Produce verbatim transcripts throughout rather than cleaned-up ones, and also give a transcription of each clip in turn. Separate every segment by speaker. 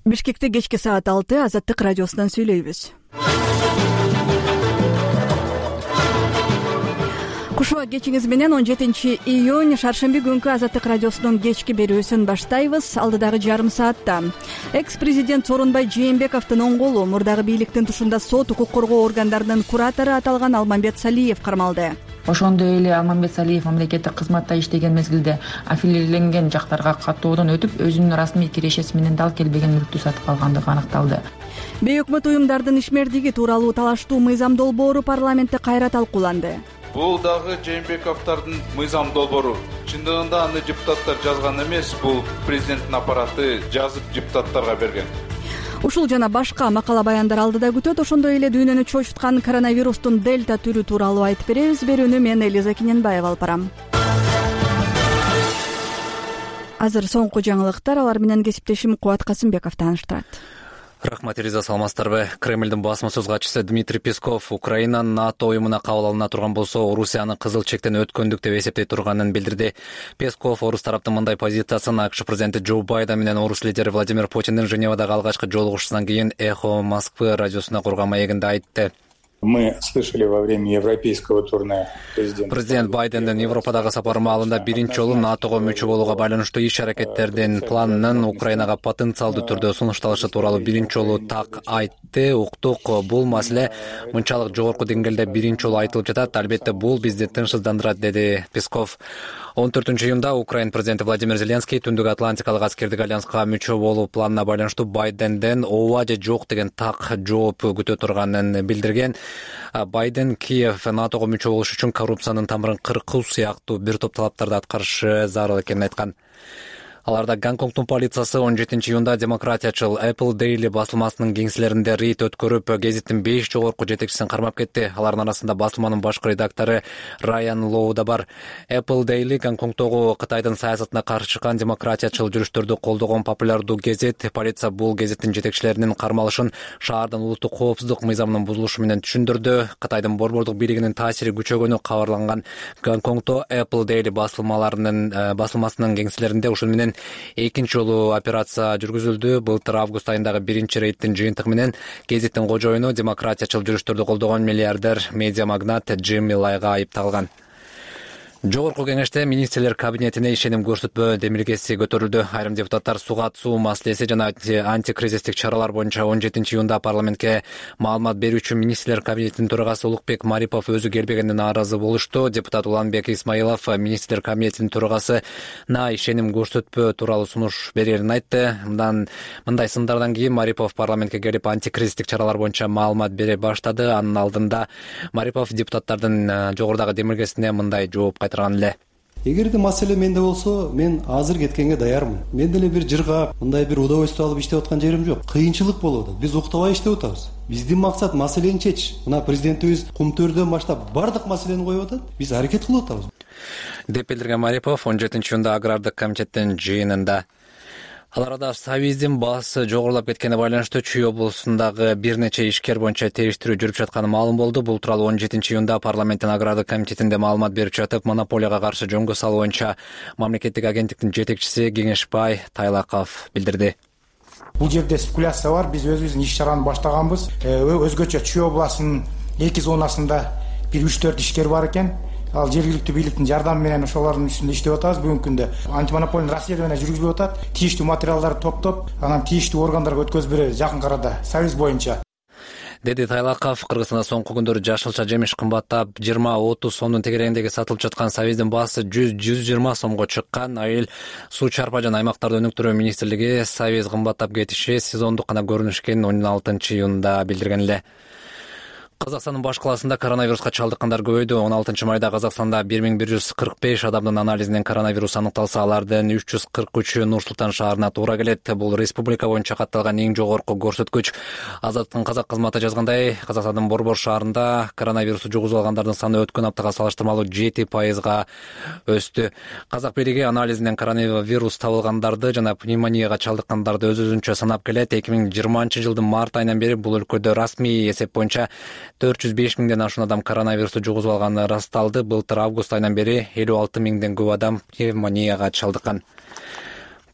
Speaker 1: Бишкекте кечки саат алты Азаттык радиосунан сүйлөйбүз. Кушуа кечиңиз менен он жетинчи июнь шаршемби күнкү Азаттык радиосунун кечки берүүсүн баштайбыз. Алдыдагы жарым саатта экс-президент Сооронбай Жээнбековдун оң колу, мурдагы бийликтин тушунда сот укук коргоо органдарынын куратору аталган Алмамбет Салиев кармалды.
Speaker 2: Ошондой эле Алмамбет Салиев мамлекеттик кызматта иштеген мезгилде аффилирленген жактарга каттоодон өтүп, өзүнүн расмий кирешеси менен дал келбеген мүлктү сатып алгандыгы аныкталды.
Speaker 1: Бейөкмөт уюмдардын ишмердиги тууралуу талаштуу мыйзам долбоору парламентте кайра талкууланды.
Speaker 3: Бул дагы Жээнбековдун мыйзам долбоору. Чындыгында аны депутаттар жазган эмес, бул президенттин аппараты жазып депутаттарга берген.
Speaker 1: Ушул жана башка макала баяндар алдыда күтөт. Ошондой эле дүйнөнү чочуткан коронавирустун дельта түрү тууралуу айтып беребиз. Берүүнү мен Элиза Кененбаева алып барам. Азыр соңку жаңылыктар, алар менен кесиптешим Кубат Касымбеков тааныштырат.
Speaker 4: Рахмат, Элиза, саламатсыздарбы? Кремлдин басма-сөз катчысы Дмитрий Песков Украина НАТО уюмуна кабыл алына турган болсо, Орусияны кызыл чектен өткөндүк деп эсептей турганын билдирди. Песков орус тараптын мындай позициясын АКШ президенти Джо Байден менен орус лидери Владимир Путиндин Женевадагы алгачкы жолугушуусунан кийин Эхо Москвы радиосуна курган маегинде айтты.
Speaker 5: Мы слышали во время европейского турне президента.
Speaker 4: Президент Байдендин Европадагы сапары маалында биринчи жолу НАТОго мүчө болууга байланыштуу иш-аракеттердин планынын Украинага потенциалдуу түрдө сунушталышы тууралуу биринчи жолу так айтты. Уктук, бул маселе мынчалык жогорку деңгээлде биринчи жолу айтылып жатат. Албетте, бул бизди тынчсыздандырат, деди Песков. он төртүнчү июнда Украина президенти Владимир Зеленский Түндүк Атлантикалык аскердик альянска мүчө болуу планына байланыштуу Байденден ооба же жок деген так жооп күтө турганын билдирген. Байден Киев НАТОго мүчө болуш үчүн коррупциянын тамырын кыркуу сыяктуу бир топ талаптарды аткарышы зарыл экенин айткан. Аларда Гонконгдун полициясы он жетинчи июнда демократиячыл Apple Daily басылмасынын кеңселеринде рейд өткөрүп, гезиттин беш жогорку жетекчисин кармап кетти. Алардын арасында басылманын башкы редактору Райан Лоу да бар. Apple Daily Гонконгдогу Кытайдын саясатына каршы чыккан демократиячыл жүрүштөрдү колдогон популярдуу гезит. Полиция бул гезиттин жетекчилеринин кармалышын шаардын улуттук коопсуздук мыйзамынын бузулушу менен түшүндүрдү. Кытайдын борбордук бийлигинин таасири күчөгөнү кабарланган. Гонконгдо Apple Daily басылмаларынын басылмасынын кеңселеринде ушун менен экинчи жолу операция жүргүзүлдү. Былтыр август айындагы биринчи рейдтин жыйынтыгы менен гезиттин кожоюну демократиячыл жүрүштөрдү колдогон миллиардер медиа магнат Джимми Лайга айыпталган. Жогорку кеңеште министрлер кабинетине ишеним көрсөтпөө демилгеси көтөрүлдү. Айрым депутаттар суга суу маселеси жана антикризистик чаралар боюнча он жетинчи июнда парламентке маалымат берүүчү министрлер кабинетинин төрагасы Улукбек Марипов өзү келбегенине нааразы болушту. Депутат Уланбек Исмаилов министрлер кабинетинин төрагасына ишеним көрсөтпөө тууралуу сунуш берерин айтты. Мындан мындай сындардан кийин Марипов парламентке келип антикризистик чаралар боюнча маалымат бере баштады. Анын алдында Марипов депутаттардын жогорудагы демилгесине мындай жооп кайтарды.
Speaker 6: Эгерде маселе менде болсо, мен азыр кеткенге даярмын. Мен деле бир жырга, мындай бир удовольствие алып иштеп аткан жерим жок. Кыйынчылык болуп атат. Биз уктабай иштеп атабыз. Биздин максат маселени чечиш. Мына президентибиз Кумтөрдөн баштап бардык маселени коюп атат. Биз аракет кылып атабыз.
Speaker 4: Деп билдирген Марипов он жетинчи июнда агрардык комитеттин жыйынында. Ал арада Савиздин баасы жогорулап кеткенине байланыштуу Чүй облусундагы бир нече ишкер боюнча териштирүү жүрүп жатканы маалым болду. Бул тууралуу он жетинчи июнда парламенттин агрардык комитетинде маалымат берип жатып, монополияга каршы жөнгө салуу боюнча мамлекеттик агенттиктин жетекчиси Кеңешбай Тайлаков билдирди.
Speaker 7: Бул жерде спекуляция бар. Биз өзүбүздүн иш-чараны баштаганбыз. Өзгөчө Чүй областынын эки зонасында бир үч төрт ишкер бар экен. Ал жергиликтүү бийликтин жардамы менен ошолордун үстүндө иштеп атабыз. Бүгүнкү күндө антимонополдук расследование жүргүзүлүп атат. Тийиштүү материалдарды топтоп, анан тийиштүү органдарга өткөзүп беребиз жакын арада Союз боюнча.
Speaker 4: Деди Тайлаков. Кыргызстанда соңку күндөрү жашылча жемиш кымбаттап жыйырма отуз сомдун тегерегиндеги сатылып жаткан Савиздин баасы жүз жүз жыйырма сомго чыккан. Айыл суу чарпа жана аймактарды өнүктүрүү министрлиги Савиз кымбаттап кетиши сезондук гана көрүнүш экенин он алтынчы июнда билдирген эле. Казакстандын баш калаасында коронавируска чалдыккандар көбөйдү. он алтынчы майда Казакстанда бир миң бир жүз кырк беш адамдын анализинен коронавирус аныкталса, алардын үч жүз кырк үчү Нур Султан шаарына туура келет. Бул республика боюнча катталган эң жогорку көрсөткүч. Азаттыктын казак кызматы жазгандай, Казакстандын Борбор шаарында коронавирусту жугузуп алгандардын саны өткөн аптага салыштырмалуу жети пайызга өстү. Казак бийлиги анализинен коронавирус табылгандарды жана пневмонияга чалдыккандарды өз-өзүнчө санап келет. эки миң жыйырманчы жылдын март айынан бери бул өлкөдө расмий эсеп боюнча төрт жүз беш миңден ашуун адам коронавирусту жугузуп алганы ырасталды. Былтыр август айынан бери элүү алты миңден көп адам пневмонияга чалдыккан.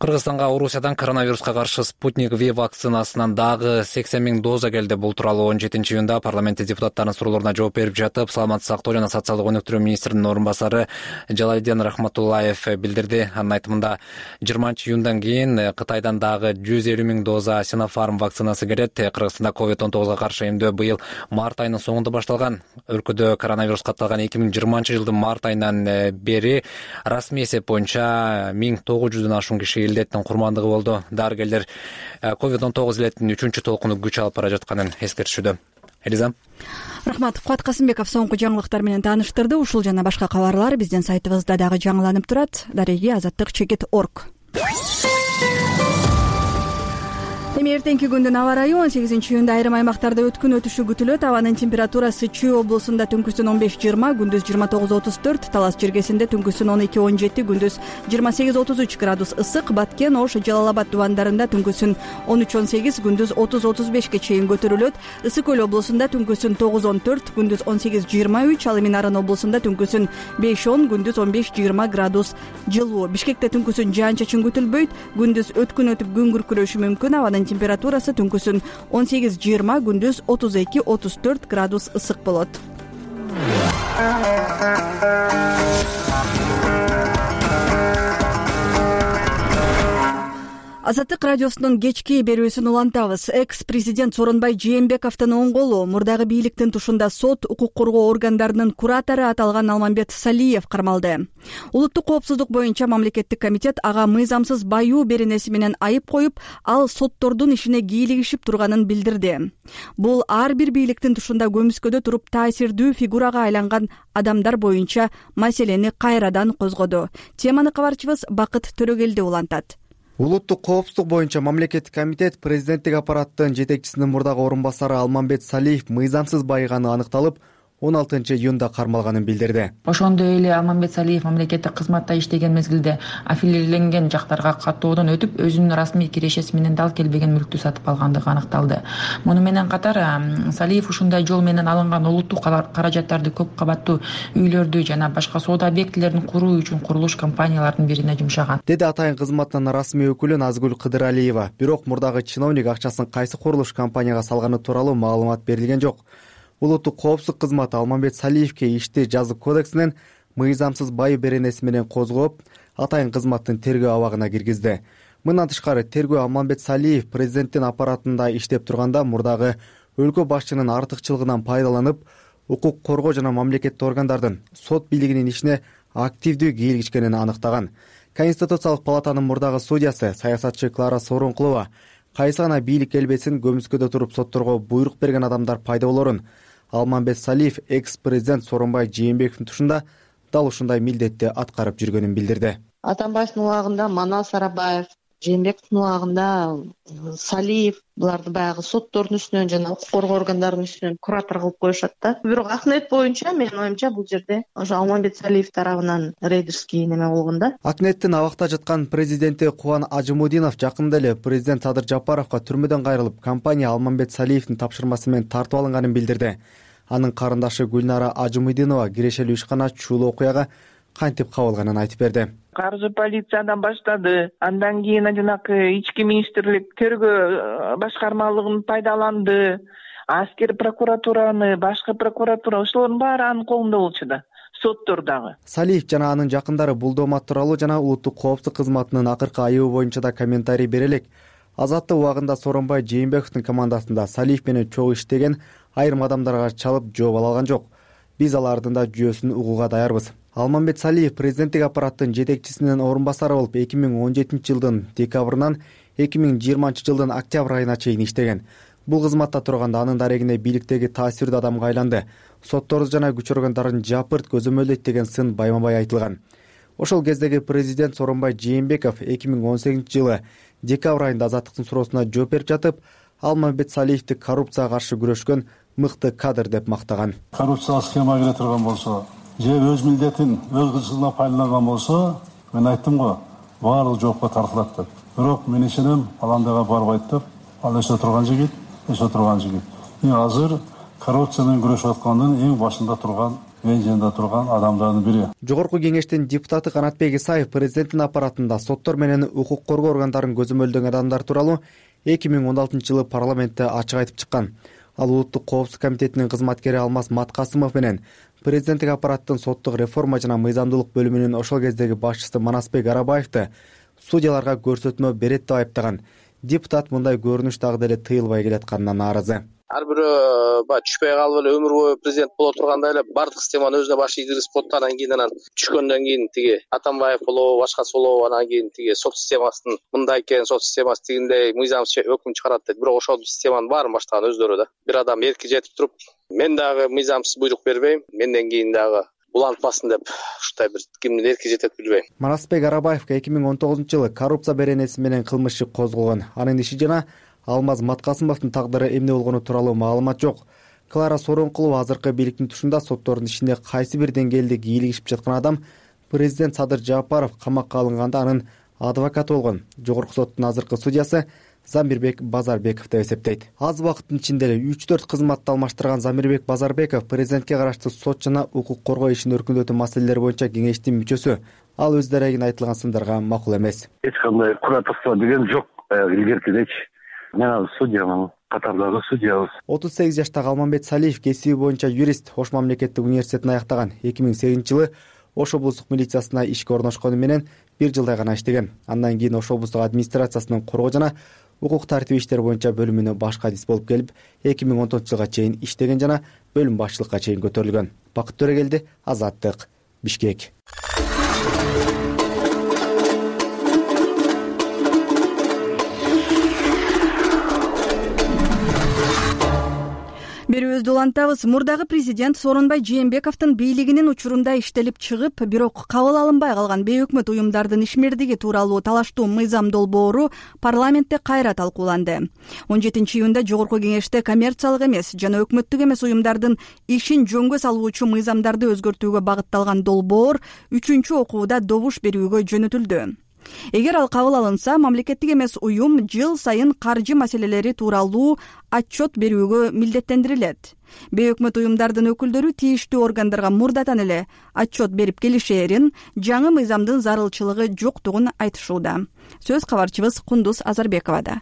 Speaker 4: Кыргызстанга Орусиядан коронавируска каршы Спутник V вакцинасынан дагы сексен миң доза келди. Бул тууралуу он жетинчи июнда парламентте депутаттардын суроолоруна жооп берип жатып, саламаттык сактоо жана социалдык өнүктүрүү министринин орун басары Жалалидин Рахматуллаев билдирди. Анын айтымында жыйырманчы июндан кийин Кытайдан дагы жүз элүү миң доза Sinopharm вакцинасы келет. Кыргызстанда ковид он тогузга каршы эмдөө быйыл март айынын соңунда башталган. Өлкөдө коронавируска катталган эки миң жыйырманчы жылдын март айынан бери расмий эсеп боюнча миң тогуз жүздөн ашуун киши илдеттин курмандыгы болду. Дарыгерлер ковид он тогуз илетинин үчүнчү толкуну күч алып бара жатканын эскертишүүдө. Элиза.
Speaker 1: Рахмат. Кубат Касымбеков соңку жаңылыктар менен тааныштырды. Ушул жана башка кабарлар биздин сайтыбызда дагы жаңыланып турат. Дареги азаттык чекит орг. Эми эртеңки күндүн аба ырайы он сегизинчи июнда айрым аймактарда өткүн өтүшү күтүлөт. Абанын температурасы Чүй облусунда түнкүсүн он беш жыйырма, күндүз жыйырма тогуз отуз төрт, Талас жергесинде түнкүсүн он эки он жети, күндүз жыйырма сегиз отуз үч градус ысык, Баткен, Ош, Жалал Абад дубандарында түнкүсүн он үч он сегиз, күндүз отуз отуз бешке чейин көтөрүлөт. Ысык көл облусунда түнкүсүн тогуз он төрт, күндүз он сегиз жыйырма үч, ал эми Нарын облусунда түнкүсүн беш он, күндүз он беш жыйырма градус жылуу. Бишкекте түнкүсүн жаан чачын күтүлбөйт, күндүз өткүн өтүп күн күркүрөшү мүмкүн. Абанын температурасы түнкүсүн он сегиз жыйырма, күндүз отуз эки отуз төрт градус ысык болот. Азаттык радиосунун кечки берүүсүн улантабыз. Экс-президент Сооронбай Жээнбековдун оң колу, мурдагы бийликтин тушунда сот, укук коргоо органдарынын куратору аталган Алмамбет Салиев кармалды. Улуттук коопсуздук боюнча мамлекеттик комитет ага мыйзамсыз баюу беренеси менен айып коюп, ал соттордун ишине кийлигишип турганын билдирди. Бул ар бир бийликтин тушунда көмүскөдө туруп таасирдүү фигурага айланган адамдар боюнча маселени кайрадан козгоду. Теманы кабарчыбыз Бакыт Төрөгелди улантат.
Speaker 8: Улуттук коопсуздук боюнча мамлекеттик комитет президенттик аппараттын жетекчисинин мурдагы орун басары Алмамбет Салиев мыйзамсыз байыганы аныкталып, он алтынчы июнда кармалганын билдирди.
Speaker 2: Ошондой эле Алмамбет Салиев мамлекеттик кызматта иштеген мезгилде аффилирленген жактарга каттоодон өтүп, өзүнүн расмий кирешеси менен дал келбеген мүлктү сатып алгандыгы аныкталды. Муну менен катар Салиев ушундай жол менен алынган улуттук каражаттарды көп кабаттуу үйлөрдү жана башка соода объектилерин куруу үчүн курулуш компанияларынын бирине жумшаган,
Speaker 8: деди атайын кызматынын расмий өкүлү Назгүл Кыдыралиева. Бирок мурдагы чиновник акчасын кайсы курулуш компанияга салганы тууралуу маалымат берилген жок. Улуттук коопсуздук кызматы Алмамбет Салиевке ишти жазык кодексинен мыйзамсыз байы беренеси менен козгоп, атайын кызматтын тергөө абагына киргизди. Мындан тышкары тергөө Алмамбет Салиев президенттин аппаратында иштеп турганда мурдагы өлкө башчынын артыкчылыгынан пайдаланып, укук коргоо жана мамлекеттик органдардын сот бийлигинин ишине активдүү кийлигишкенин аныктаган. Конституциялык палатанын мурдагы судьясы, саясатчы Клара Сооронкулова кайсы гана бийлик келбесин көмүскөдө туруп сотторго буйрук берген адамдар пайда болорун, Алмамбет Салиев экс-президент Сооронбай Жээнбековдун тушунда дал ушундай милдетти аткарып жүргөнүн билдирди.
Speaker 9: Атамбаевдин убагында Манал Сарабаев, Жээнбековдун убагында Салиев буларды баягы соттордун үстүнөн жана укук коргоо органдарынын үстүнөн куратор кылып коюшат да. Бирок Акнет боюнча менин оюмча бул жерде ошо Алмамбет Салиев тарабынан рейдерский неме болгон да.
Speaker 8: Акнеттин абакта жаткан президенти Кубан Ажымудинов жакында эле президент Садыр Жапаровго түрмөдөн кайрылып, компания Алмамбет Салиевдин тапшырмасы менен тартып алынганын билдирди. Анын карындашы Гүлнара Ажымудинова кирешелүү ишкана чуулуу окуяга кантип кабылганын айтып берди.
Speaker 10: Каржы полициядан баштады. Андан кийин жанагы ички министрлик тергөө башкармалыгын пайдаланды. Аскер прокуратураны, башкы прокуратура ошолордун баары анын колунда болчу да. Соттордагы.
Speaker 8: Салиев жана анын жакындары бул доомат тууралуу жана улуттук коопсуздук кызматынын акыркы айыбы боюнча да комментарий бере элек. Азаттык убагында Сооронбай Жээнбековдун командасында Салиев менен чогуу иштеген айрым адамдарга чалып жооп ала алган жок. Биз алардын да жүйөсүн угууга даярбыз. Алмамбет Салиев президенттик аппараттын жетекчисинин орун басары болуп эки миң он жетинчи жылдын декабрынан эки миң жыйырманчы жылдын октябрь айына чейин иштеген. Бул кызматта турганда анын дарегине бийликтеги таасирдүү адамга айланды. Сотторду жана күч органдарын жапырт көзөмөлдөйт деген сын байма-бай айтылган. Ошол кездеги президент Сооронбай Жээнбеков эки миң он сегизинчи жылы декабрь айында азаттыктын суроосуна жооп берип жатып, Алмамбет Салиевди коррупцияга каршы күрөшкөн мыкты кадр деп мактаган.
Speaker 11: Коррупциялык схема кире турган болсо, же өз милдетин өз кызыгына пайдаланган болсо, мен айттым го, баардыгы жоопко тартылат деп. Бирок мен ишенем, ал андайга барбайт деп. Ал эсте турган жигит, эсте турган жигит. Эми азыр коррупция менен күрөшүп аткандын эң башында турган эң жанында турган адамдардын бири.
Speaker 8: Жогорку кеңештин депутаты Канатбек Исаев президенттин аппаратында соттор менен укук коргоо органдарын көзөмөлдөгөн адамдар тууралуу эки миң он алтынчы жылы парламентте ачык айтып чыккан. Ал улуттук коопсуздук комитетинин кызматкери Алмаз Маткасымов менен президенттик аппараттын соттук реформа жана мыйзамдуулук бөлүмүнүн ошол кездеги башчысы Манасбек Арабаевди судьяларга көрсөтмө берет деп айыптаган. Депутат мындай көрүнүш дагы деле тыйылбай келатканына нааразы.
Speaker 12: Ар бирөө баягы түшпөй калып эле өмүр бою президент боло турганда эле бардык системаны өзүнө баш ийгизип коет. Анан кийин анан түшкөндөн кийин тиги Атамбаев болобу, башкасы болобу, анан кийин тиги сот системасынын мындай экен, сот системасы тигиндей мыйзамсыз өкүм чыгарат дейт. Бирок ошол системанын баарын баштаган өздөрү да. Бир адам эрки жетип туруп, мен дагы мыйзамсыз буйрук бербейм, менден кийин дагы булантпасын деп ушундай бир кимдин эрки жетет билбейм.
Speaker 8: Манасбек Арабаевге эки миң он тогузунчу жылы коррупция беренеси менен кылмыш иши козголгон. Анын иши жана Алмаз Маткасымовдун тагдыры эмне болгону тууралуу маалымат жок. Клара Сооронкулова азыркы бийликтин тушунда соттордун ишинде кайсы бир деңгээлде кийлигишип жаткан адам президент Садыр Жапаров камакка алынганда анын адвокаты болгон. Жогорку соттун азыркы судьясы Замирбек Базарбеков деп эсептейт. Аз убакыттын ичинде эле үч төрт кызматты алмаштырган Замирбек Базарбеков президентке караштуу сот жана укук коргоо ишин өркүндөтүү маселелери боюнча кеңештин мүчөсү. Ал өз дарегин айтылган сындарга макул эмес.
Speaker 13: Эч кандай куратовство деген жок. Илгеркидечи мен ал судьямын, катардагы судьябыз.
Speaker 8: отуз сегиз жаштагы Алмамбет Салиев кесиби боюнча юрист, Ош мамлекеттик университетин аяктаган. эки миң сегизинчи жылы Ош облустук милициясына ишке орношкону менен бир жылдай гана иштеген. Андан кийин Ош облустук администрациясынын коргоо жана укук тартип иштер боюнча бөлүмүнө башкы адис болуп келип, эки миң он тогузунчу жылга чейин иштеген жана бөлүм башчылыкка чейин көтөрүлгөн. Бакыт Төрөгелди, Азаттык, Бишкек.
Speaker 1: Берүүбүздү улантабыз. Мурдагы президент Сооронбай Жээнбековдун бийлигинин учурунда иштелип чыгып, бирок кабыл алынбай калган бейөкмөт уюмдардын ишмердиги тууралуу талаштуу мыйзам долбоору парламентте кайра талкууланды. он жетинчи июнда Жогорку кеңеште коммерциялык эмес жана өкмөттүк эмес уюмдардын ишин жөнгө салуучу мыйзамдарды өзгөртүүгө багытталган долбоор үчүнчү окууда добуш берүүгө жөнөтүлдү. Эгер ал кабыл алынса, мамлекеттик эмес уюм жыл сайын каржы маселелери тууралуу отчет берүүгө милдеттендирилет. Бейөкмөт уюмдардын өкүлдөрү тийиштүү органдарга мурдатан эле отчет берип келишээрин, жаңы мыйзамдын зарылчылыгы жоктугун айтышууда. Сөз кабарчыбыз Кундуз Азарбековада.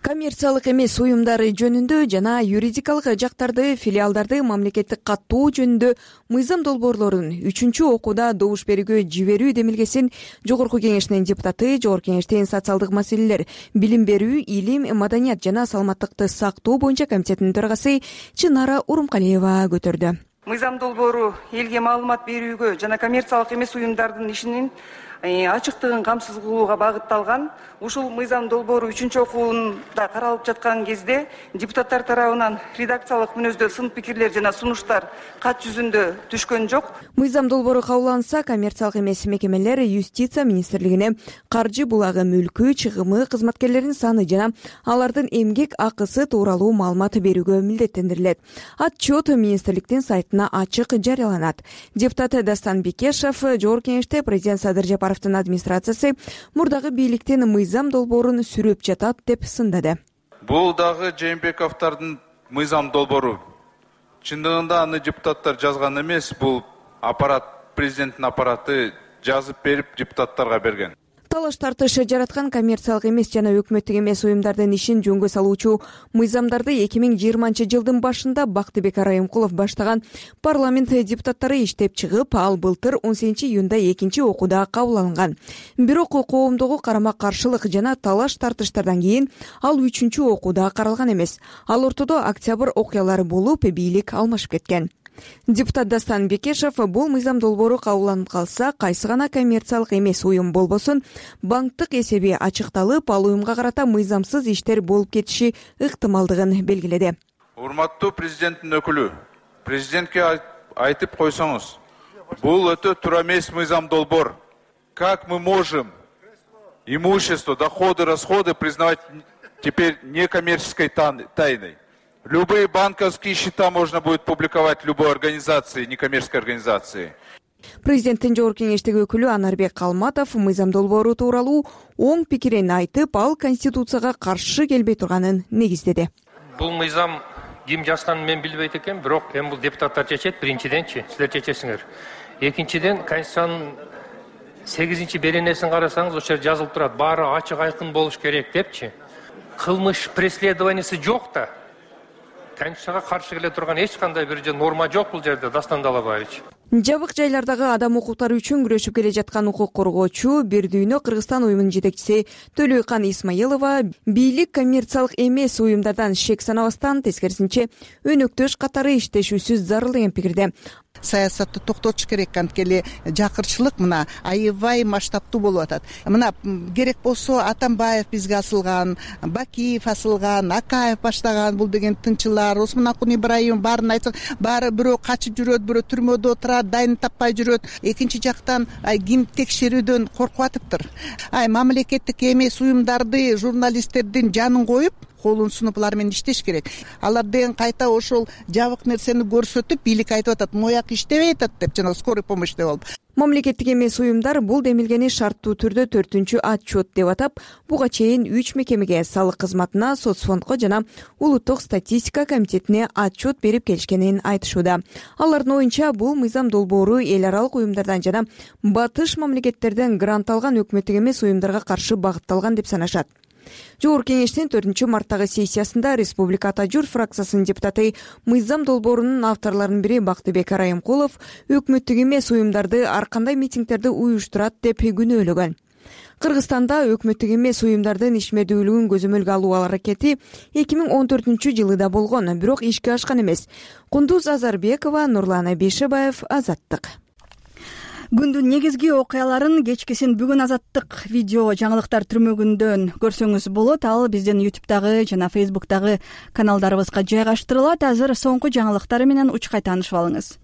Speaker 14: Коммерциялык эмес уюмдары жөнүндө жана юридикалык жактарды, филиалдарды мамлекеттик каттоо жөнүндө мыйзам долбоорлорун үчүнчү окууда добуш берүүгө жиберүү демилгесин Жогорку кеңештин депутаты, Жогорку кеңештин социалдык маселелер, билим берүү, илим, маданият жана саламаттыкты сактоо боюнча комитетинин төрагасы Чынара Урумкалиева көтөрдү.
Speaker 15: Мыйзам долбоору элге маалымат берүүгө жана коммерциялык эмес уюмдардын ишинин ачыктыгын камсыз кылууга багытталган. Ушул мыйзам долбоору үчүнчү окууда каралып жаткан кезде депутаттар тарабынан редакциялык мүнөздө сын пикирлер жана сунуштар кат жүзүндө түшкөн жок.
Speaker 14: Мыйзам долбоору кабылданса, коммерциялык эмес мекемелер юстиция министрлигине каржы булагы, мүлкү, чыгымы, кызматкерлердин саны жана алардын эмгек акысы тууралуу маалымат берүүгө милдеттендирилет. Отчет министрликтин сайтына ачык жарыяланат. Депутат Дастан Бекешев Жогорку кеңеште президент Садыр Жапаровдун администрациясы мурдагы бийликтин мыйзам долбоорун сүрөп жатат деп сындады.
Speaker 3: Бул дагы Жээнбековдордун мыйзам долбоору. Чындыгында аны депутаттар жазган эмес, бул аппарат, президенттин аппараты жазып берип депутаттарга берген.
Speaker 14: Талаш тартыш жараткан коммерциялык эмес жана өкмөттүк эмес уюмдардын ишин жөнгө салуучу мыйзамдарды эки миң жыйырманчы жылдын башында Бактыбек Райымкулов баштаган парламент депутаттары иштеп чыгып, ал былтыр он сегизинчи июнда экинчи окууда кабыл алынган. Бирок коомдогу карама каршылык жана талаш тартыштардан кийин ал үчүнчү окууда каралган эмес. Ал ортодо октябрь окуялары болуп, бийлик алмашып кеткен. Депутат Дастан Бекешев бул мыйзам долбоору кабылданып калса, кайсы гана коммерциялык эмес уюм болбосун, банктык эсеби ачыкталып, ал уюмга карата мыйзамсыз иштер болуп кетиши ыктымалдыгын белгиледи.
Speaker 3: Урматтуу президенттин өкүлү, президентке айтып койсоңуз, бул өтө туура эмес мыйзам долбоор. Как мы можем имущество, доходы, расходы признавать теперь некоммерческой тайной? Любые банковские счета можно будет публиковать любой организации, некоммерческой организации.
Speaker 14: Президенттин Жогорку кеңештеги өкүлү Анарбек Калматов мыйзам долбоору тууралуу оң пикирин айтып, ал Конституцияга каршы келбей турганын негиздеди.
Speaker 16: Бул мыйзам ким жазганын мен билбейт экенмин, бирок эми бул депутаттар чечет. Биринчиденчи силер чечесиңер. Экинчиден, Конституциянын сегизинчи беренесин карасаңыз, ошол жерде жазылып турат, баары ачык айкын болуш керек депчи. Кылмыш преследованиясы жок да. Конституцияга каршы келе турган эч кандай бир норма жок бул жерде, Дастан Далабаевич.
Speaker 14: Жабык жайлардагы адам укуктары үчүн күрөшүп келе жаткан укук коргоочу Бир дүйнө Кыргызстан уюмунун жетекчиси Төлөйкан Исмаилова бийлик коммерциялык эмес уюмдардан шек санабастан, тескерисинче өнөктөш катары иштешүүсү зарыл деген пикирде.
Speaker 17: Саясатты токтотуш керек, анткени жакырчылык мына аябай масштабтуу болуп атат. Мына керек болсо Атамбаев бизге асылган, Бакиев асылган, Акаев баштаган бул деген тынчылар, Осмонакун Ибраимов баарын айтсак, баары бирөө качып жүрөт, бирөө түрмөдө отурат, дайын таппай жүрөт. Экинчи жактан ким текшерүүдөн коркуп атыптыр. Ай мамлекеттик эмес уюмдарды, журналисттердин жанын коюп, колун сунуп алар менен иштеш керек. Алар деген кайта ошол жабык нерсени көрсөтүп, бийлик айтып атат, мояк иштебей атат деп, жана скорый помощь деп алып.
Speaker 14: Мамлекеттик эмес уюмдар бул демилгени шарттуу түрдө төртүнчү отчет деп атап, буга чейин үч мекемеге, салык кызматына, соцфондко жана улуттук статистика комитетине отчет берип келишкенин айтышууда. Алардын оюнча, бул мыйзам долбоору эл аралык уюмдардан жана батыш мамлекеттерден грант алган өкмөттүк эмес уюмдарга каршы багытталган деп санашат. Жогорку кеңештин төртүнчү марттагы сессиясында Республика Ата Журт фракциясынын депутаты, мыйзам долбоорунун авторлорунун бири Бактыбек Арайымкулов өкмөттүк эмес уюмдарды ар кандай митингдерди уюштурат деп күнөөлөгөн. Кыргызстанда өкмөттүк эмес уюмдардын ишмердүүлүгүн көзөмөлгө алуу аракети эки миң он төртүнчү жылы да болгон, бирок ишке ашкан эмес. Кундуз Азарбекова, Нурлан Абишебаев, Азаттык.
Speaker 1: Күндүн негизги окуяларын кечкисин бүгүн Азаттык видео жаңылыктар түрмөгүндөн көрсөңүз болот. Ал биздин ютубтагы жана фейсбуктагы каналдарыбызга жайгаштырылат. Азыр соңку жаңылыктар менен учкай таанышып алыңыз.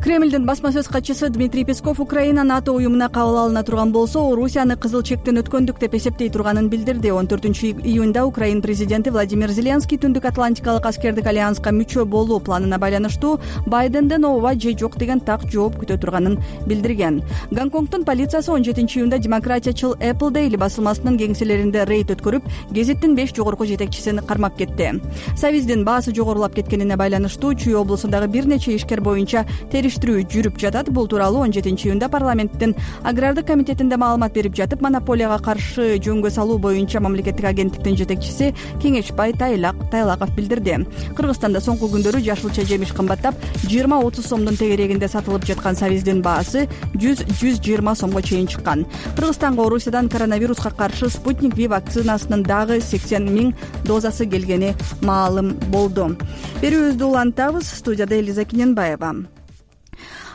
Speaker 1: Кремлдин басма сөз катчысы Дмитрий Песков Украина НАТО уюмуна кабыл алына турган болсо, Орусияны кызыл чектен өткөндүк деп эсептей турганын билдирди. он төртүнчү июнда Украин президенти Владимир Зеленский Түндүк Атлантикалык аскердик альянска мүчө болуу планына байланыштуу Байденден ооба же жок деген так жооп күтө турганын билдирген. Гонконгдун полициясы он жетинчи июнда демократиячыл Apple Daily басылмасынын кеңселеринде рейд өткөрүп, гезиттин беш жогорку жетекчисин кармап кетти. Сабиздин баасы жогорулап кеткенине байланыштуу Чүй облусундагы бир нече ишкер боюнча жүрүп жатат. Бул тууралуу он жетинчи июнда парламенттин агрардык комитетинде маалымат берип жатып, монополияга каршы жөнгө салуу боюнча мамлекеттик агенттиктин жетекчиси Кеңешбай Тайлаков билдирди. Кыргызстанда соңку күндөрү жашылча жемиш кымбаттап, жыйырма отуз сомдун тегерегинде сатылып жаткан сабиздин баасы жүз жүз жыйырма сомго чейин чыккан. Кыргызстанга Орусиядан коронавируска каршы Спутник Ви вакцинасынын дагы сексен миң дозасы келгени маалым болду. Берүүбүздү улантабыз. Студияда Элиза Киненбаева.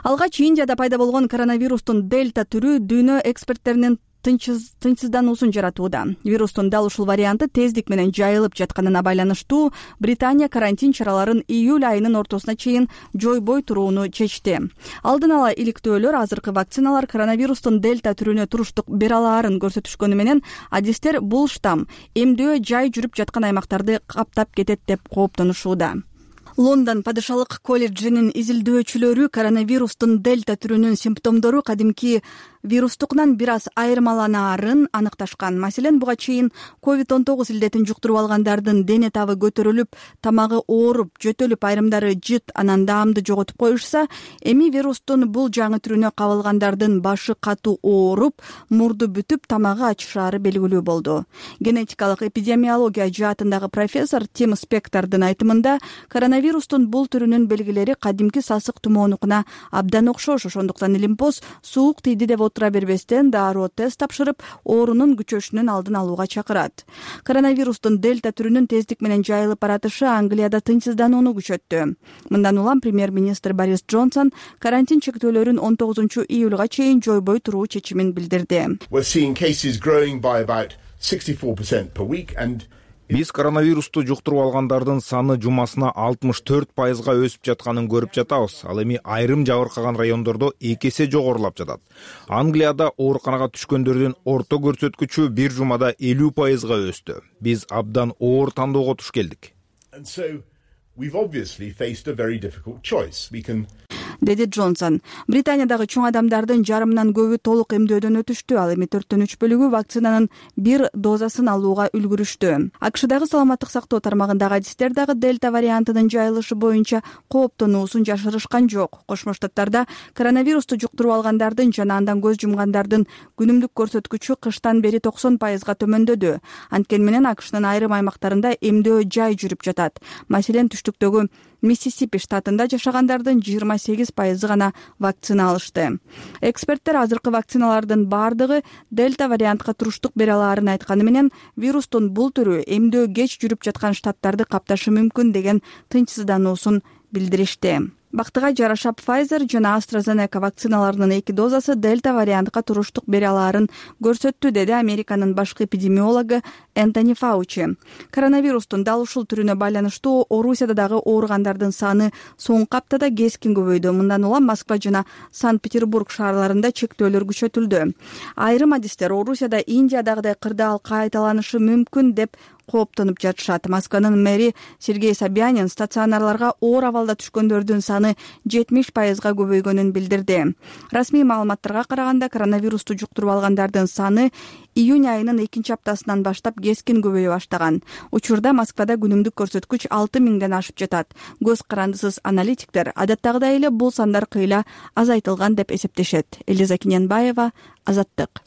Speaker 1: Алгач Индияда пайда болгон коронавирустун дельта түрү дүйнө эксперттеринин тынчсыздануусун жаратууда. Вирустун дал ушул варианты тездик менен жайылып жатканына байланыштуу Британия карантин чараларын июль айынын ортосуна чейин жойбой турууну чечти. Алдын ала иликтөөлөр азыркы вакциналар коронавирустун дельта түрүнө туруштук бере алаарын көрсөтүшкөнү менен адистер бул штамм эмдөө жай жүрүп жаткан аймактарды каптап кетет деп кооптонушууда. Лондон падышалык колледжинин изилдөөчүлөрү коронавирустун дельта түрүнүн симптомдору кадимки вирустукунан бир аз айырмаланаарын аныкташкан. Маселен, буга чейин ковид он тогуз илдетин жуктуруп алгандардын дене табы көтөрүлүп, тамагы ооруп, жөтөлүп, айрымдары жыт, анан даамды жоготуп коюшса, эми вирустун бул жаңы түрүнө кабылгандардын башы катуу ооруп, мурду бүтүп, тамагы ачышаары белгилүү болду. Генетикалык эпидемиология жаатындагы профессор Тим Спектордун айтымында, коронавирустун бул түрүнүн белгилери кадимки сасык тумоонукуна абдан окшош, ошондуктан Илимпоз суук тийди деп отура бербестен дароо тест тапшырып, оорунун күчөшүнүн алдын алууга чакырат. Коронавирустун дельта түрүнүн тездик менен жайылып баратышы Англияда тынчсызданууну күчөттү. Мындан улам премьер-министр Борис Джонсон карантин чектөөлөрүн он тогузунчу июлга чейин жойбой туруу чечимин билдирди.
Speaker 18: Биз коронавирусту жуктуруп алгандардын саны жумасына алтымыш төрт пайызга өсүп жатканын көрүп жатабыз. Ал эми айрым жабыркаган райондордо эки эсе жогорулап жатат. Англияда ооруканага түшкөндөрдүн орто көрсөткүчү бир жумада элүү пайызга өстү. Биз абдан оор тандоого туш келдик.
Speaker 1: деди Джонсон. Британиядагы чоң адамдардын жарымынан көбү толук эмдөөдөн өтүштү. Ал эми төрттөн үч бөлүгү вакцинанын бир дозасын алууга үлгүрүштү. АКШдагы саламаттык сактоо тармагындагы адистер дагы дельта вариантынын жайылышы боюнча кооптонуусун жашырышкан жок. Кошмо Штаттарда коронавирусту жуктуруп алгандардын жана андан көз жумгандардын күнүмдүк көрсөткүчү кыштан бери токсон пайызга төмөндөдү. Анткени менен АКШнын айрым аймактарында эмдөө жай жүрүп жатат. Маселен, түштүктөгү Миссисипи штатында жашагандардын жыйырма сегиз пайызы гана вакцина алышты. Эксперттер азыркы вакциналардын бардыгы дельта вариантка туруштук бере алаарын айтканы менен, вирустун бул түрү эмдөө кеч жүрүп жаткан штаттарды капташы мүмкүн деген тынчсыздануусун билдиришти. Бактыга жараша Pfizer жана AstraZeneca вакциналарынын эки дозасы дельта вариантка туруштук бере алаарын көрсөттү, деди Американын башкы эпидемиологу Энтони Фаучи. Коронавирустун дал ушул түрүнө байланыштуу Орусияда дагы ооругандардын саны соңку аптада кескин көбөйдү. Мындан улам Москва жана Санкт-Петербург шаарларында чектөөлөр күчөтүлдү. Айрым адистер Орусияда Индиядагыдай кырдаал кайталанышы мүмкүн деп кооптонуп жатышат. Москванын мэри Сергей Собянин стационарларга оор абалда түшкөндөрдүн саны жетимиш пайызга көбөйгөнүн билдирди. Расмий маалыматтарга караганда, коронавирусту жуктуруп алгандардын саны июнь айынын экинчи аптасынан баштап кескин көбөйө баштаган. Учурда Москвада күнүмдүк көрсөткүч алты миңден ашып жатат. Көз карандысыз аналитиктер адаттагыдай эле бул сандар кыйла азайтылган деп эсептешет. Элиза Киненбаева, Азаттык.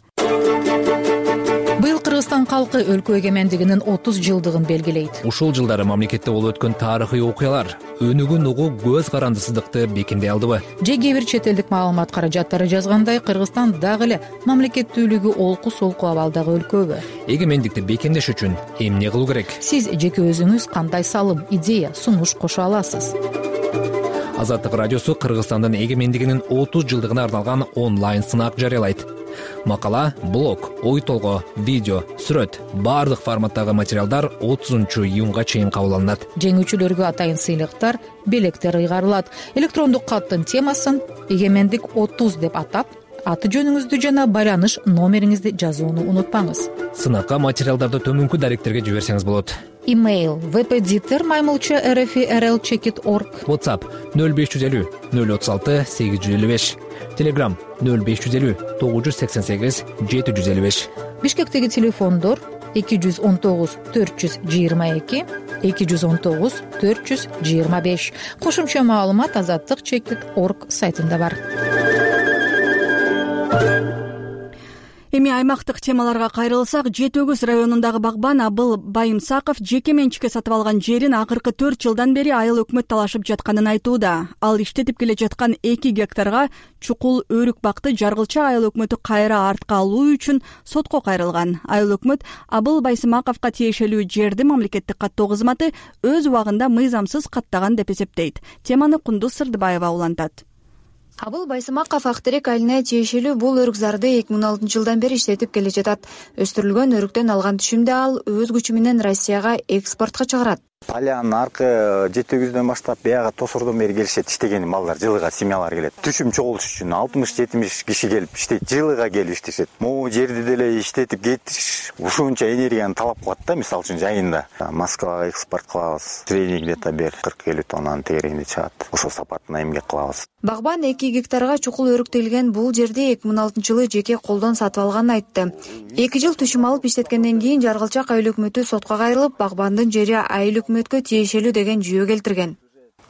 Speaker 19: Быйыл Кыргызстан калкы өлкө эгемендигинин отуз жылдыгын белгилейт.
Speaker 4: Ушул жылдары мамлекетте болуп өткөн тарыхый окуялар өнүгүүн угуу көз карандысыздыкты бекемдей алдыбы?
Speaker 19: Же кээ бир чет элдик маалымат каражаттары жазгандай, Кыргызстан дагы эле мамлекеттүүлүгү олку солку абалдагы өлкөбү?
Speaker 4: Эгемендикти бекемдеш үчүн эмне кылуу керек?
Speaker 19: Сиз жеке өзүңүз кандай салым, идея, сунуш кошо аласыз?
Speaker 4: Азаттык радиосу Кыргызстандын эгемендигинин отуз жылдыгына арналган онлайн сынак жарыялайт. Макала, блог, ой толгоо, видео, сүрөт, баардык форматтагы материалдар отузунчу июнга чейин кабыл алынат.
Speaker 19: Жеңүүчүлөргө атайын сыйлыктар, белектер ыйгарылат. Электрондук каттын темасын эгемендик отуз деп атап, аты жөнүңүздү жана байланыш номериңизди жазууну унутпаңыз.
Speaker 4: Сынакка материалдарды төмөнкү даректерге жиберсеңиз болот.
Speaker 19: Имейл впдитер маймылча rfrl чекит org.
Speaker 4: WhatsApp нөл беш жүз элүү нөл отуз алты сегиз жүз элүү беш. Telegram нөл беш жүз элүү тогуз жүз сексен сегиз жети жүз элүү беш.
Speaker 19: Бишкектеги телефондор эки жүз он тогуз төрт жүз жыйырма эки эки жүз он тогуз төрт жүз жыйырма беш. Кошумча маалымат азаттык чекит org сайтында бар.
Speaker 1: Эми аймактык темаларга кайрылсак, Жети Өгүз районундагы багбан Абыл Байымсаков жеке менчикке сатып алган жерин акыркы төрт жылдан бери айыл өкмөт талашып жатканын айтууда. Ал иштетип келе жаткан эки гектарга чукул өрүк бакты Жаргылча айыл өкмөтү кайра артка алуу үчүн сотко кайрылган. Айыл өкмөт Абыл Байсымаковго тиешелүү жерди мамлекеттик каттоо кызматы өз убагында мыйзамсыз каттаган деп эсептейт. Теманы Кундуз Сырдыбаева улантат.
Speaker 20: Абыл Байсымаков Актерек айылына тиешелүү бул өрүк-зарды эки миң он алтынчы жылдан бери иштетип келе жатат. Өстүрүлгөн өрүктөн алган түшүмдү ал өз күчү менен Россияга экспортко чыгарат.
Speaker 21: Алянын аркы Жети Өгүздөн баштап бияга Тосордон бери келишет, иштеген малдар, жылыга семьялар келет. Түшүм чогулуш үчүн алтымыш жетимиш киши келип иштейт, жылыга келип иштешет. Могу жерди деле иштетип кетиш ушунча энергияны талап кылат да, мисалы үчүн жайында. Москвага экспорт кылабыз. Средний где-то бир кырк элүү тоннанын тегерегинде чыгат. Ошол сапатына эмгек кылабыз.
Speaker 20: Багбан эки гектарга чукул өрүк тегилген бул жерди эки миң он алтынчы жылы жеке колдон сатып алганын айтты. эки жыл түшүм алып иштеткенден кийин Жаргылчак айыл өкмөтү сотко кайрылып, багбандын жери айыл өкмөткө тиешелүү деген жүйө келтирген.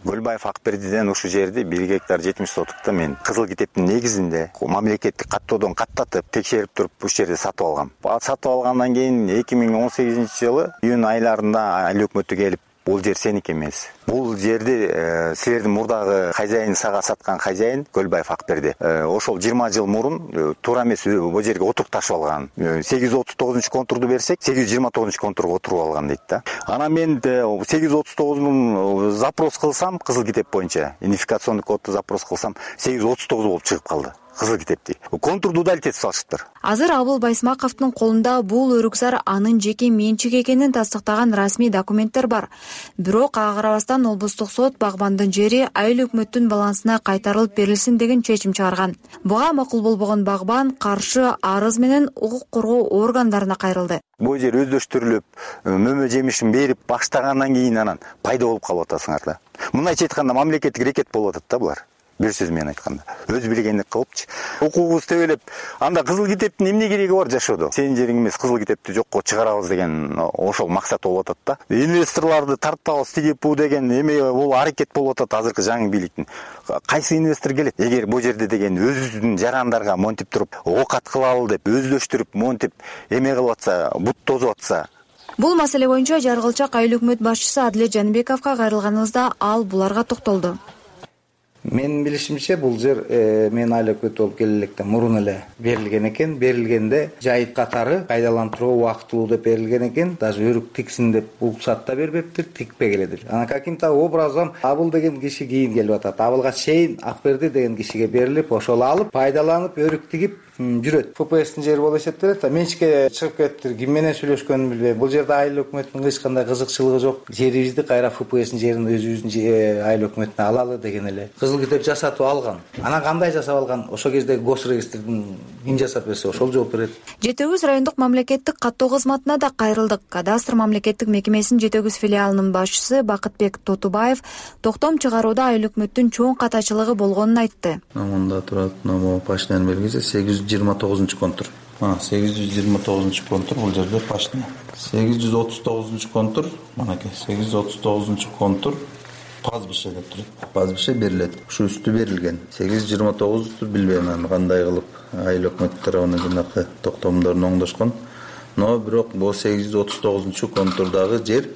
Speaker 21: Көлбаев Акбердиден ушул жерди бир гектар жетимиш сотукта мен кызыл китептин негизинде мамлекеттик каттоодон каттатып, текшерип туруп ушул жерди сатып алгам. Сатып алгандан кийин эки миң он сегизинчи жылы июнь айларында айыл өкмөтү келип, бул жер сеники эмес. Бул жерди э, силердин мурдагы хозяин сага саткан хозяин Көлбаев Акберди. Э, ошол жыйырма жыл мурун э, туура эмес бул жерге отурукташып алган. Э, сегиз жүз отуз тогузунчу контурду берсек, сегиз жүз жыйырма тогузунчу контурга отуруп алган дейт да. Анан мен э, сегиз жүз отуз тогузун запрос кылсам, кызыл китеп боюнча идентификационный кодду запрос кылсам, сегиз жүз отуз тогуз болуп чыгып калды. Кызыл китепти. Контурду удалить этип салышыптыр.
Speaker 20: Азыр Абыл Байсымаковдун колунда бул өрүк-зар анын жеке менчик экенин тастыктаган расмий документтер бар. Бирок ага карабастан облустук сот багбандын жери айыл өкмөттүн балансына кайтарылып берилсин деген чечим чыгарган. Буга макул болбогон багбан каршы арыз менен укук коргоо органдарына кайрылды.
Speaker 21: Бул жер өздөштүрүлүп, мөмө жемишин берип баштагандан кийин анан пайда болуп калып атасыңар да. Мындайча айтканда мамлекеттик рекет болуп атат да булар. бир сөз менен айтканда өз билгендик кылыпчы укугубуз тебелеп анда кызыл китептин эмне кереги бар жашоодо, сенин жериң эмес, кызыл китепти жокко чыгарабыз деген ошол максат болуп атат да. Инвесторлорду тартабыз тиги бу деген эме бул аракет болуп атат азыркы жаңы бийликтин. Кайсы инвестор келет? Эгер бул жерде деген өзүбүздүн жарандарга монтип туруп оокат кылалы деп өздөштүрүп монтип эме кылып атса, бут тозуп атса.
Speaker 20: Бул маселе боюнча Жаргылчак айыл өкмөт башчысы Адилет Жаныбековго кайрылганыбызда ал буларга токтолду.
Speaker 5: Менин билишимче бул жер мен айыл өкмөт болуп келе электен мурун эле берилген экен. Берилгенде жайыт катары пайдалантууга убактылуу деп берилген экен. Даже өрүк тиксин деп уруксат да бербептир, тикпегиле деп. Анан каким-то образом Абыл деген киши кийин келип атат. Абылга чейин Акберди деген кишиге берилип, ошол алып, пайдаланып, өрүк тигип жүрөт. ФПСтин жери болуп эсептелет. Менчикке чыгып кетиптир. Ким менен сүйлөшкөнүн билбейм. Бул жерде айыл өкмөтүнүн эч кандай кызыкчылыгы жок. Жерибизди кайра ФПСтин жерин өзүбүздүн айыл өкмөтүнө алалы деген эле. Кызыл китеп жасатып алган. Анан кандай жасап алган? Ошол кезде госрегистрдин ким жасап берсе, ошол жооп берет.
Speaker 20: Жети өгүз райондук мамлекеттик каттоо кызматына да кайрылдык. Кадастр мамлекеттик мекемесинин Жети өгүз филиалынын башчысы Бакытбек Тотубаев токтом чыгарууда айыл өкмөттүн чоң катачылыгы болгонун айтты.
Speaker 22: Мында турат номо пашнян белгиси сегиз жүз жыйырма тогузунчу контур. сегиз жүз жыйырма тогузунчу контур бул жерде пашня. сегиз жүз отуз тогузунчу контур, манакей сегиз жүз отуз тогузунчу контур пазбише деп турат. Пазбише берилет. Ушу үстү берилген. сегиз жүз жыйырма тогузду билбейм мен кандай кылып айыл өкмөт тарабынан жанакы токтомдорун оңдошкон. Но бирок бул сегиз жүз отуз тогузунчу контурдагы жер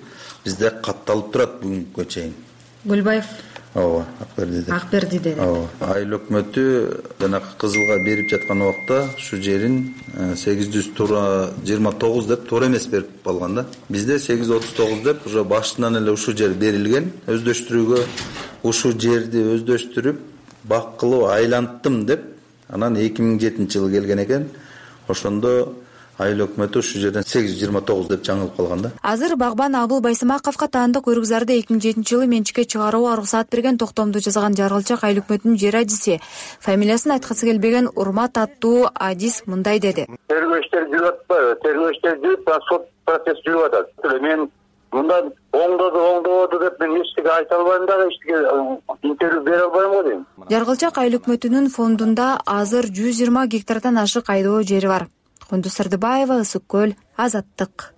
Speaker 22: бизде катталып турат бүгүнкүгө чейин.
Speaker 20: Гүлбаев
Speaker 22: Ооба, Акбердиде.
Speaker 20: Акбердиде.
Speaker 22: Ооба. Айыл өкмөтү жанакы кызылга берип жаткан убакта ушу жерин сегиз жүз жыйырма тогуз деп туура эмес берип алган да. Бизде сегиз жүз отуз тогуз деп уже башынан эле ушу жер берилген. Өздөштүрүүгө ушу жерди өздөштүрүп бак кылып айланттым деп анан эки миң жетинчи жылы келген экен. Ошондо айыл өкмөтү ушу жерден сегиз жүз жыйырма тогуз деп жаңылып калган да.
Speaker 20: Азыр багбан Абыл Байсымаковго таандык өрүкзарды эки миң жетинчи жылы менчикке чыгарууга уруксат берген токтомду жазган Жаргылчак айыл өкмөтүнүн жер адиси, фамилиясын айткысы келбеген Урмат аттуу адис мындай деди.
Speaker 23: Тергөө иштери жүрүп атпайбы? Тергөө иштери жүрүп, сот процесс жүрүп атат. Мен мындан оңдоду, оңдободу деп мен эчтеке айта албайм дагы, эчтеке интервью бере албайм го дейм.
Speaker 20: Жаргылчак айыл өкмөтүнүн фондунда азыр жүз жыйырма гектардан ашык айдоо жери бар. Кундуз Сырдыбаева, Ысык көл, Азаттык.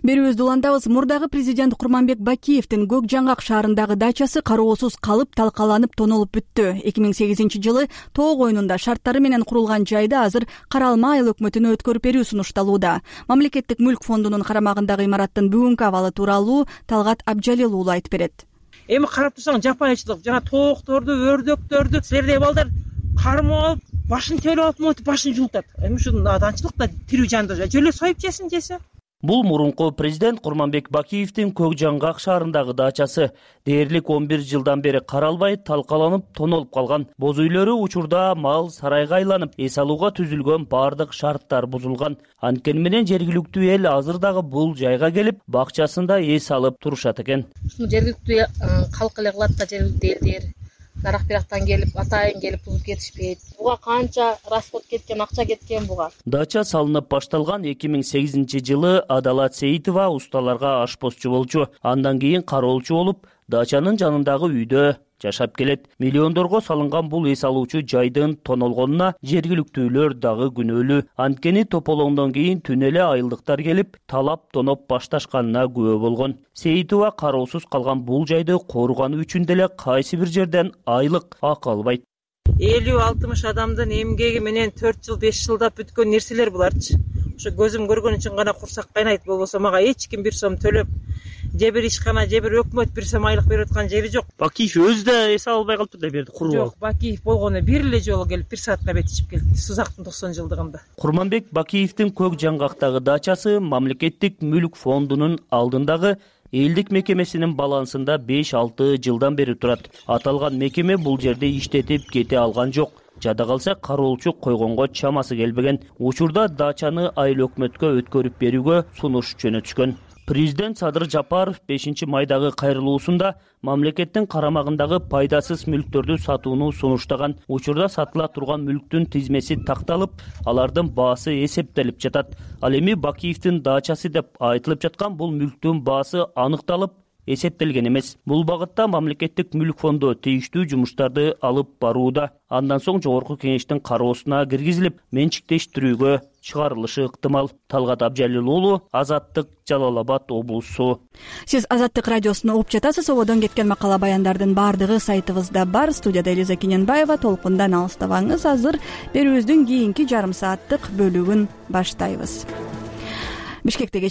Speaker 1: Берүүбүздү улантабыз. Мурдагы президент Курманбек Бакиевдин Көк Жаңгак шаарындагы дачасы кароосуз калып, талкаланып, тонолуп бүттү. эки миң сегизинчи жылы тоо койнунда шарттары менен курулган жайда азыр каралма айыл өкмөтүнө өткөрүп берүү сунушталууда. Мамлекеттик мүлк фондунун карамагындагы имараттын бүгүнкү абалы тууралуу Талгат Абжалил уулу айтып берет.
Speaker 24: Эми карап турсаң жапайычылык, жана тоокторду, өрдөктөрдү силердей балдар кармап алып, башын төлөп алып, мотип башын жултат. Эми ушул наданчылык да тирүү жанда жөлө союп жесин жесе.
Speaker 25: Бул мурунку президент Курманбек Бакиевдин Көк Жаңгак шаарындагы дачасы дээрлик он бир жылдан бери каралбай, талкаланып, тонолуп калган. Боз үйлөрү учурда мал сарайга айланып, эс алууга түзүлгөн бардык шарттар бузулган. Анткени менен жергиликтүү эл азыр дагы бул жайга келип, бакчасында эс алып турушат экен.
Speaker 26: Ушуну жергиликтүү калк эле кылат да, жергиликтүү элдер нарак бирактан келип, атайын келип бузуп кетишпейт. Буга канча расход кеткен, акча кеткен буга.
Speaker 25: Дача салынып башталган эки миң сегизинчи жылы Адалат Сейитова усталарга ашпозчу болчу. Андан кийин кароолчу болуп, дачанын жанындагы үйдө жашап келет. Миллиондорго салынган бул эс алуучу жайдын тонолгонуна жергиликтүүлөр дагы күнөөлүү. Анткени тополоңдон кийин түн эле айылдыктар келип, талап тоноп башташканына күбө болгон. Сейитова кароосуз калган бул жайды коргонуу үчүн деле кайсы бир жерден айлык акы албайт.
Speaker 24: элүү алтымыш адамдын эмгеги менен төрт жыл беш жылдап бүткөн нерселер буларчы. Ошо көзүм көргөн үчүн гана курсак кайнайт, болбосо мага эч ким бир сом төлөп, же бир ишкана, же бир өкмөт бир сом айлык берип аткан жери жок.
Speaker 25: Бакиев өзү да эс албай калыптыр да берди, куруп алып.
Speaker 24: Жок, Бакиев болгону бир эле жолу келип бир саатка бет ичип келди. Сузактын токсон жылдыгында.
Speaker 25: Курманбек Бакиевдин Көк Жаңгактагы дачасы мамлекеттик мүлк фондунун алдындагы элдик мекемесинин балансында беш алты жылдан бери турат. Аталган мекеме бул жерде иштетип кете алган жок. Жада калса кароолчу койгонго чамасы келбеген. Учурда дачаны айыл өкмөткө өткөрүп берүүгө сунуш жөнөтүшкөн. Президент Садыр Жапаров бешинчи майдагы кайрылуусунда мамлекеттин карамагындагы пайдасыз мүлктөрдү сатууну сунуштаган. Учурда сатыла турган мүлктүн тизмеси такталып, алардын баасы эсептелип жатат. Ал эми Бакиевдин дачасы деп айтылып жаткан бул мүлктүн баасы аныкталып, эсептелген эмес. Бул багытта мамлекеттик мүлк фонду тийиштүү жумуштарды алып барууда. Андан соң жогорку кеңештин кароосуна киргизилип, менчиктештирүүгө чыгарылышы ыктымал. Талгат Абжалил уулу, Азаттык, Жалал Абад облусу.
Speaker 1: Сиз Азаттык радиосуна угуп жатасыз. Ободон кеткен макала баяндардын баардыгы сайтыбызда бар. Студияда Элиза Кененбаева. Толкундан алыстабаңыз. Азыр берүүбүздүн кийинки жарым сааттык бөлүгүн баштайбыз. Бишкекте